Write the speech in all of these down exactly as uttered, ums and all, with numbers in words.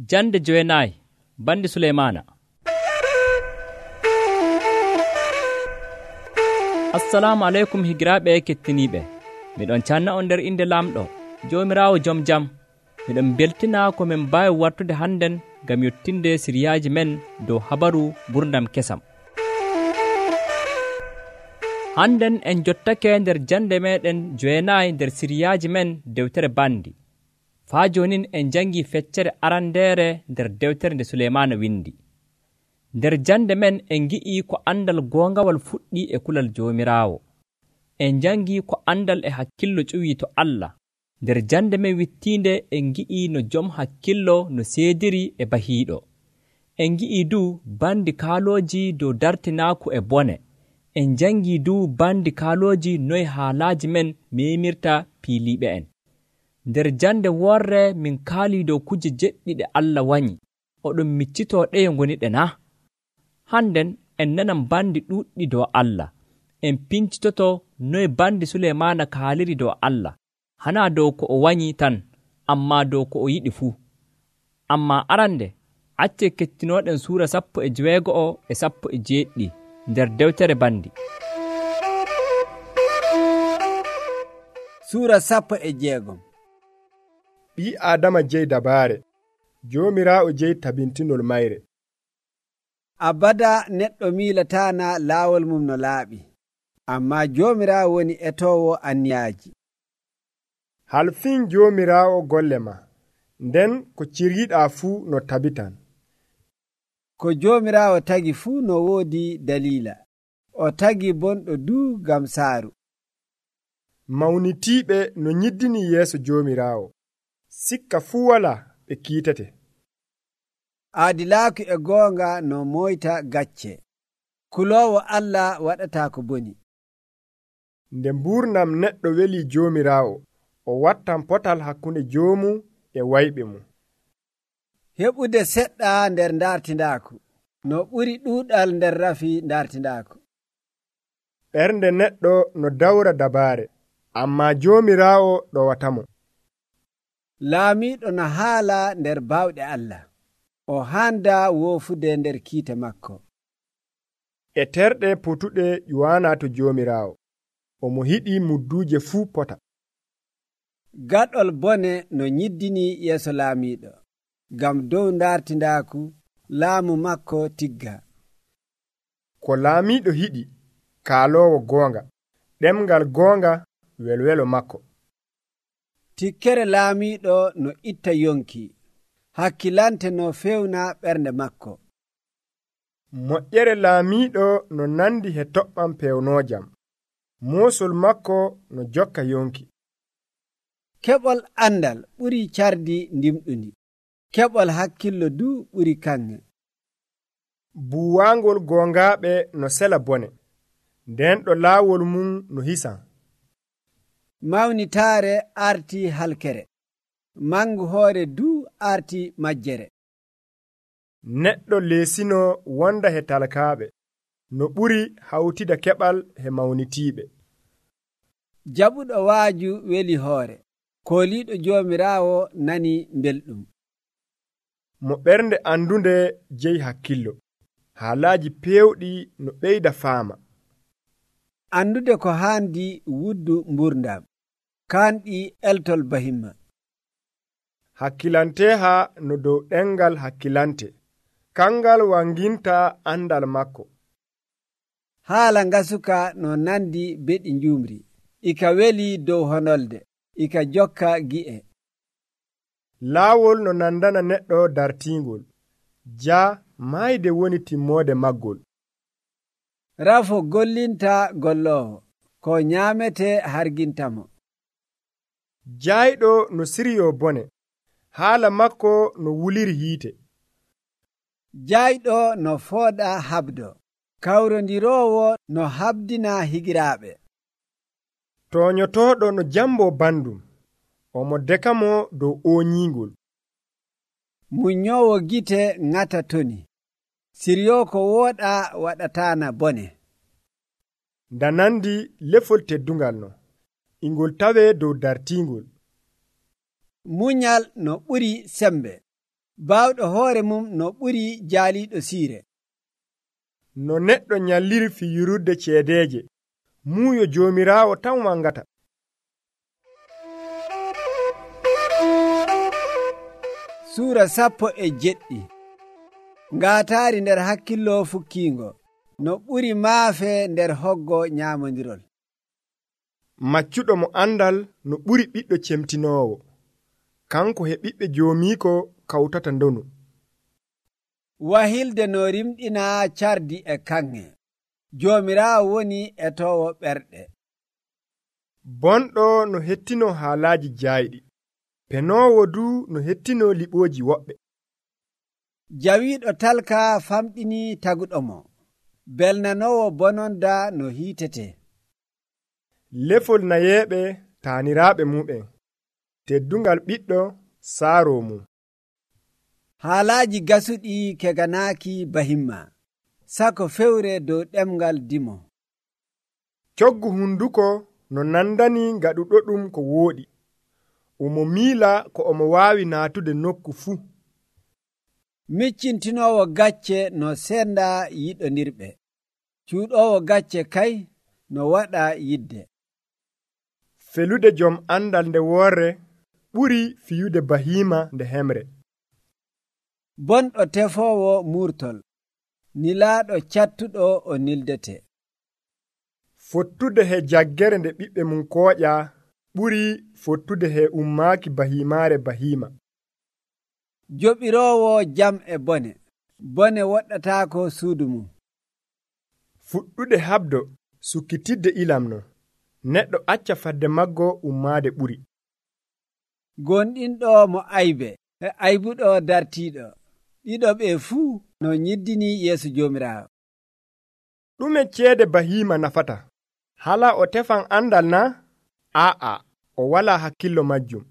Jande jowenayi bandi Suleymana. Assalamu alaikum higiraɓe kettiniɓe. Miɗon canna on nder inde lamɗo Jomirawo joom jam. Miɗon beltina ko min mbawi wartude hannden gam yottinde siryaji men dow habaru gurdam kesam. Hannden en jottake nder jande meɗen jowenayi nder siryaji men dewtere bandi. Faa jonin en jangi feccere arandere nder dewtere nde Suleymana windi. Nder jande men en gi'i ko andal gongawal fuɗɗi e kulal Jomirawo. En jangi ko andal e hakkillo ƴuwi to Allah. Nder jande men wittinde en gi'i no joom hakkillo no seediri e bahiiɗo. En gi'i du bandi kaaloji dow dartinaku e bone. En jangi du bandi kaaloji noy haalaji men memirta piiliɓe en. Nder jande worre min kaali dow kuje jeɗɗiɗe Allah wanyi. Oɗon miccito ɗeye ngoniɗe na? Hannden en nanan bandi ɗuɗɗi dow Allah. En pincitoto noy bandi Suleymana kaaliri dow Allah. Hana dow ko o wanyi tan, amma dow ko o yiɗi fuu. Amma arande, acce kettinoɗen suura sappo e jewego'o e sappo e jeeɗɗi nder dewtere bandi. Suura sappo e jeegom. Ɓii Adama jeyi dabaare, Joomiraawo jeyi tabintinol mayre. Abada neɗɗo miilatana laawol mum no laaɓi, amma Joomiraawo woni etoowo anniyaaji. Halfin Joomiraawo golle ma, nden ko ciriiɗaa fuu no tabitan. Ko Joomiraawo tagi fuu no woodi daliila, o tagi bonɗo duu gam saaru. Mawnitiiɓe no nyiddini yeeso Joomiraawo, sikka fuu wala ɓe kiitete. Aadilaaku e goonga no moyta gacce, kuloowo Allah waɗata ko boni. Nde mburnam neɗɗo weli Joomiraawo, o wattan potal hakkunde joomu e wayɓe mum. Heɓude seɗɗa nder dartindaaku no ɓuri ɗuuɗal nder rafi dartindaaku. Ɓernde neɗɗo no dawra dabaare, amma Joomiraawo ɗowatamo. Laamiiɗo no haala nder baawɗe Allah, o handa woofude nder kiite makko. E terɗe potuɗe ƴuwaana to Joomiraawo, omo hiɗi mudduuje fuu pota. Gaɗol bone no nyiddini yeeso laamiiɗo, gam dow dartindaaku laamu makko tigga. Ko laamiiɗo hiɗi, kaaloowo goonga, ɗemgal goonga welwelo makko. Tikkere laamiiɗo no itta yonki, hakkilante no fewna ɓernde makko. Moƴƴere laamiiɗo no nandi he toɓɓam pewnoojam, moosol makko no jokka yonki. Keɓol andal ɓuri cardi ndimɗundi, keɓol hakkillo du ɓuri kanŋe. Buwaangol goongaaɓe no sela bone, nden ɗo laawol mum no hisan. Mawnitaare arti halkere, mangu hoore du arti majjere. Neɗɗo leesino wonda he talkaaɓe, no ɓuri hawtida keɓal he mawnitiiɓe. Jaɓuɗo waaju weli hoore, kooliiɗo Joomiraawo nani belɗum. Mo ɓernde andunde jeyi hakkillo, haalaaji peewɗi no ɓeyda faama. Andude ko haandi wuddu mburdam, kanɗi eltol bahimma. Hakkilanteha no dow ɗengal hakkilante, kangal wanginta andal makko. Haala ngasuka no nandi beɗi njumri, ika weli dow honolde, ika jokka gi'e. Laawol no nandana neɗɗo dartingol, ja mayde woni timmoode maggol. Rafo gollinta golloowo, ko nyaamete hargintamo. Jayɗo no siryo bone, haala makko no wuliri hiite. Jayɗo no fooɗa habdo, kawrondiroowo no habdina higiraaɓe. Toonyotooɗo no jambo bandum, omo dekamo dow ooñiingol. Munyoowo gite ŋata toni, siryo ko wooɗa waɗataana bone. Ndanandi lefol teddungal no, ingol tawe dow dartingol. Munyal no ɓuri sembe, baawɗo hoore mum no ɓuri jaaliiɗo siire. No neɗɗo nyalliri fiyirudde ceedeeje, muuyo Joomiraawo tan wangata. Suura sappo e jeɗɗi. Ngaataari nder hakkillo fukkiingo no ɓuri maafe nder hoggo nyaamondirol. Maccuɗo mo andal no ɓuri ɓiɗɗo cemtinoowo, kanko he ɓiɓɓe joomiiko kawtata ndonu. Wahilde no rimɗina cardi e kanŋe, Joomiraawo woni etoowo ɓerɗe. Bonɗo no hettino haalaaji jaayɗi, penoowo du no hettino liɓooji woɓɓe. Jawiiɗo talka famɗini taguɗo mo, belnanoowo bononda no hiitete. Lefol nayeeɓe taaniraaɓe mu'en, teddungal ɓiɗɗo saaroo mum. Haalaaji gasuɗi keganaaki bahimma, sako fewre dow ɗemgal dimo. Coggu hunduko no nandani gaɗuɗo ɗum ko wooɗi, omo miila ko omo waawi naatude nokku fuu. Miccintinoowo gacce no senda yiɗondirɓe, cuuɗoowo gacce kay no waɗa yidde. Felude jom andal nde woorre ɓuri fiyude bahiima nde hemre. Bonɗo tefoowo murtol, nilaaɗo cattuɗo o nildete. Fottude he jaggere nde ɓiɓɓe mum kooƴa ɓuri fottude he ummaaki bahiimaare bahiima. Joɓiroowo jam e bone, bone woɗɗataako suudu mum. Fuɗɗude habdo sukkitidde ilamno, neɗɗo acca fadde maggo ummaade ɓuri. Gonɗinɗo mo aybe e aybuɗo dartiiɗo, ɗiɗo ɓe fuu no nyiddini yeeso Joomiraawo. Ɗume ceede bahiima nafata? Hala o tefan andal na? Aa, o wala hakkillo majjum.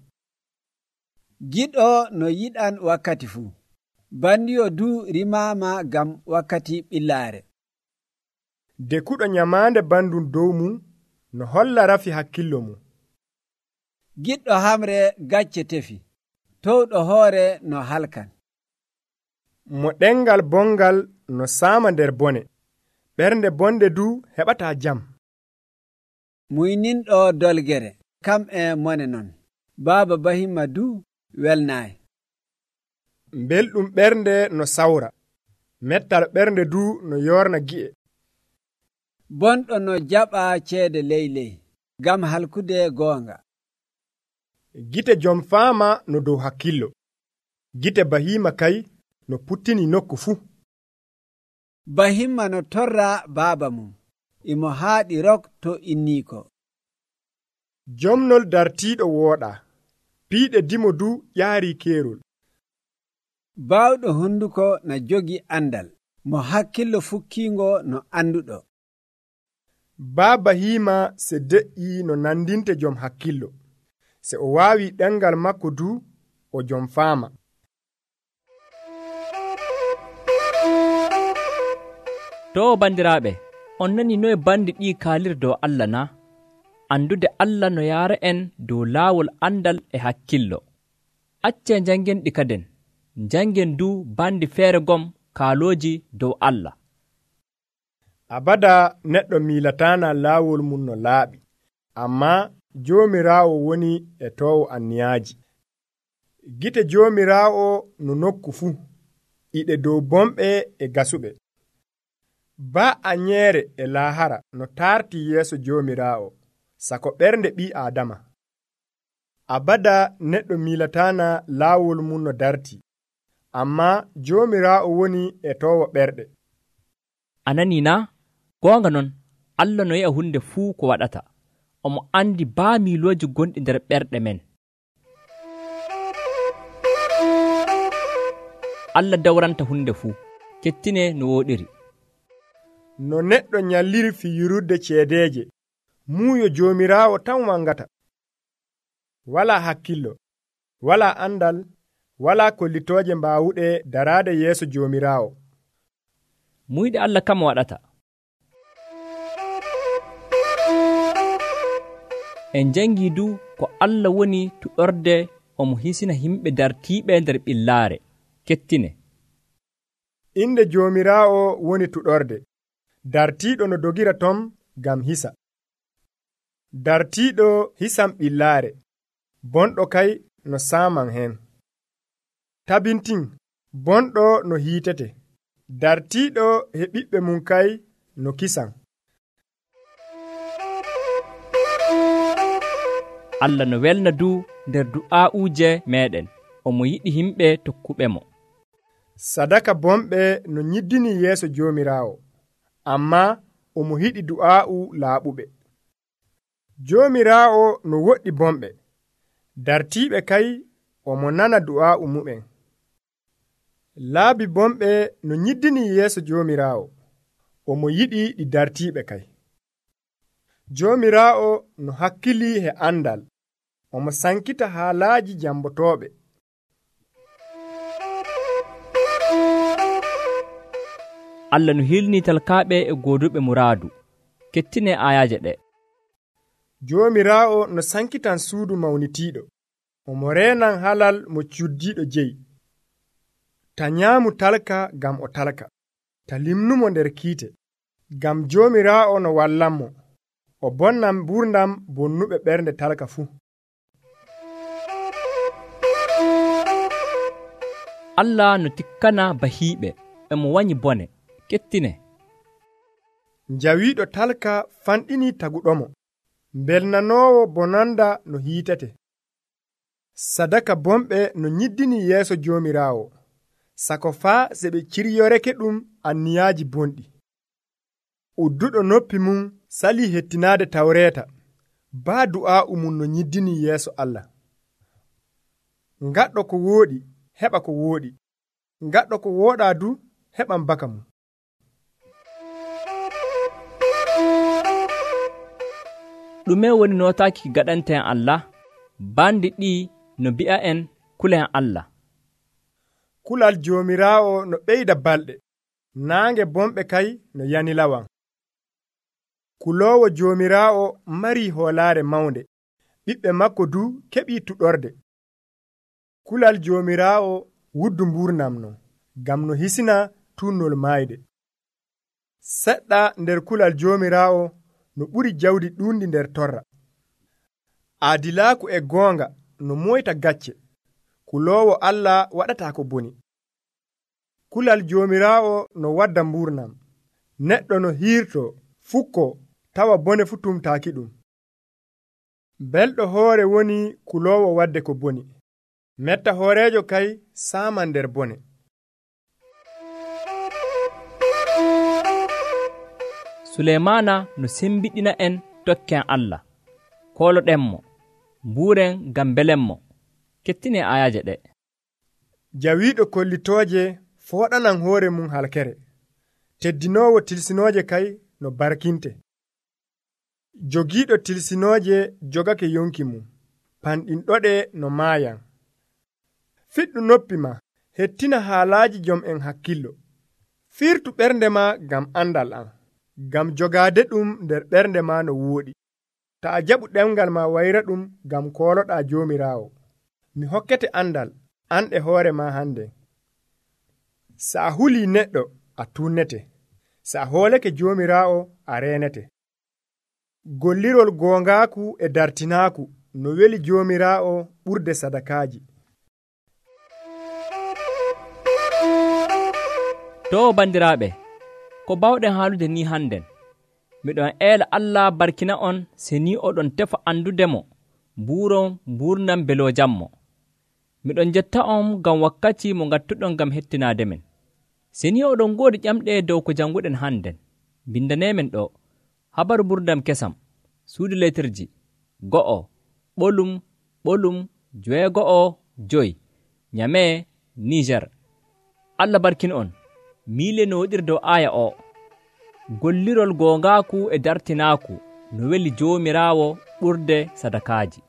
Giɗo no yiɗan wakkati fuu, bandiyo du rimaama gam wakkati ɓillaare. Dekuɗo nyamaande bandum dow mum no holla rafi hakkillo mum. Giɗɗo hamre gacce tefi, towɗo hoore no halkan. Mo ɗengal bongal no saama nder bone, ɓernde bonde du heɓata jam. Muyninɗo dolgere, kam e mone non, baaba bahimma du welnaayi. Belɗum ɓernde no sawra, mettal ɓernde du no yorna gi'e. Bonɗo no jaɓa ceede ley ley, gam halkude goonga. Gite jom faama no dow hakkillo, gite bahiima kay no puttini nokku fuu. Bahimma no torra baaba mum, imo haaɗi rok to inniiko. Jomnol dartiiɗo wooɗa, piiɗe dimo du ƴaari keerol. Baawɗo hunduko no jogi andal, mo hakkillo fukkiingo no anduɗo. Baa bahiima se de'ii no nandinte jom hakkillo, se o waawi ɗengal makko du o jom faama. To bandiraaɓe, on nani noye bandi ɗi kaalir dow Allah na? Andude Allah no yaara en dow laawol andal e hakkillo. Acce jangen ɗi kaden, jangen du bandi feere gom kaalooji dow Allah. Abada neɗɗo miilatana laawol mum no laaɓi, amma Joomiraawo woni e toowo anniyaaji. Gite Joomiraawo no nokku fuu, iɗe dow bomɓe e gasuɓe. Baa anyeere e laahara no taarti yeeso Joomiraawo, sako ɓernde ɓii Aadama. Abada neɗɗo miilatana laawol mum no darti, amma Joomiraawo woni e toowo ɓerɗe. Anani na? Goonga non, Allah no yi'a hunde fuu ko waɗata. Omo andi baa miilooji gonɗi nder ɓerɗe men. Allah dawranta hunde fuu, kettine no wooɗiri. No neɗɗo nyalliri fiyirudde ceedeeje, muuyo Joomiraawo tan wangata. Wala hakkillo, wala andal, wala kollitooje mbaawuɗe daraade yeeso Joomiraawo. Muyɗe Allah kam waɗata. En jangi du ko Allah woni tuɗorde omo hisina himɓe dartiiɓe nder ɓillaare. kettine. Inde Joomiraawo woni tuɗorde, dartiiɗo no dogira tom ngam hisa. Dartiiɗo hisam ɓillaare, bonɗo kay no saaman hen. Tabintin, bonɗo no hiitete, dartiiɗo he ɓiɓɓe mum kay no kisan. Allah no welna du nder du'aa'uuje meeɗen, omo yiɗi himɓe tokkuɓe mo. Sadaka bomɓe no nyiddini yeeso Joomiraawo, ammaa omo yiɗi du'aa'u laaɓuɓe. Joomiraawo no woɗɗi bomɓe, dartiiɓe kay omo nana du'aa'u mu'en. Laabi bomɓe no nyiddini yeeso Joomiraawo, omo yiɗi ɗi dartiiɓe kay. Joomiraawo no hakkilii he andal, omo sankita haalaaji jambotooɓe. Allah no hilni talkaaɓe e gooduɓe muraadu. Kettine ayaaje ɗe. Joomiraawo no sankitan suudu mawnitiiɗo, omo reenan halal mo cuddiiɗo jeyi. Ta nyaamu talka ngam o talka, ta limnumo nder kiite, ngam Joomiraawo no wallanmo, o bonnan ɓurdam bonnuɓe ɓernde talka fuu. Allah no tikkana bahiiɓe, e mo wanyi bone. Kettine. Njawiiɗo talka fanɗinii taguɗomo, mbelnanoowo bonanda no hiitete. Sadaka bomɓe no nyiddini yeeso Joomiraawo, sako faa se ɓe ciryoreke ɗum anniyaaji bonɗi. Udduɗo noppi mum salii hettinaade tawreeta, baa du'aa'u mum no nyiddini yeeso Allah. Ngaɗɗo ko wooɗi, heɓa ko wooɗi. Ngaɗɗo ko wooɗaa du, heɓan baka mum. Ɗume woni nootaaki gaɗanteen Allah? Bandi ɗi no mbi'a en kulen Allah. Kulal Joomiraawo no ɓeyda balɗe, naange bomɓe kay no yanilawan. Kuloowo Joomiraawo marii hoolaare mawnde, ɓiɓɓe makko du keɓii tuɗorde. Kulal Joomiraawo wuddu mburnam non, ngam no hisina tunnol maayde. Seɗɗa nder kulal Joomiraawo no ɓuri jawdi ɗuundi nder torra. Aadilaaku e goonga no moyta gacce, kuloowo Allah waɗataa ko boni. Kulal Joomiraawo no wadda mburnam, neɗɗo no hiirto fukko tawa bone fu tumtaaki ɗum. Belɗo hoore woni kuloowo wadde ko boni, metta hooreejo kay saaman nder bone. Suleymaana no sembiɗina en tokken Allah, kooloɗenmo, mbuuren ngam belenmo. Kettine ayaaje ɗe. Jawiiɗo kollitooje fooɗanan hoore mum halkere, teddinoowo tilsinooje kay no barkinte. Jogiiɗo tilsinooje jogake yonki mum, panɗinɗoɗe no maayan. Fiɗɗu noppi ma, hettina haalaaji jom en hakkillo. Firtu ɓernde ma ngam andal am, ngam jogaade ɗum nder ɓernde ma no wooɗi. Ta a jaɓu ɗemgal ma wayra ɗum ngam kooloɗaa Joomiraawo. Mi hokkete andal, an e hoore ma hande. Sa a hulii neɗɗo, a tunnete. Sa a hoolake Joomiraawo, a reenete. Gollirol goongaaku e dartinaaku no weli Joomiraawo ɓurde sadakaaji. To bandiraaɓe, ko bawɗen haalude ni hannden, miɗon eela Allah barkina on se ni oɗon tefa andudemo mbuuron mburnam beloojammo. Miɗon jetta on ngam wakkati mo ngattuɗon ngam hettinaade men. Se ni oɗon ngoodi ƴamɗe dow ko jannguɗen hannden, bindaneemen ɗo habaru ɓurdam kesam, suudu letirji go'o ɓolum ɓolum joweego'o joyi, Nyame, Niger. Allah barkin on. Miile no woɗiri dow aaya o. Gollirol goongaaku e dartinaaku no weli Joomiraawo ɓurde sadakaaji.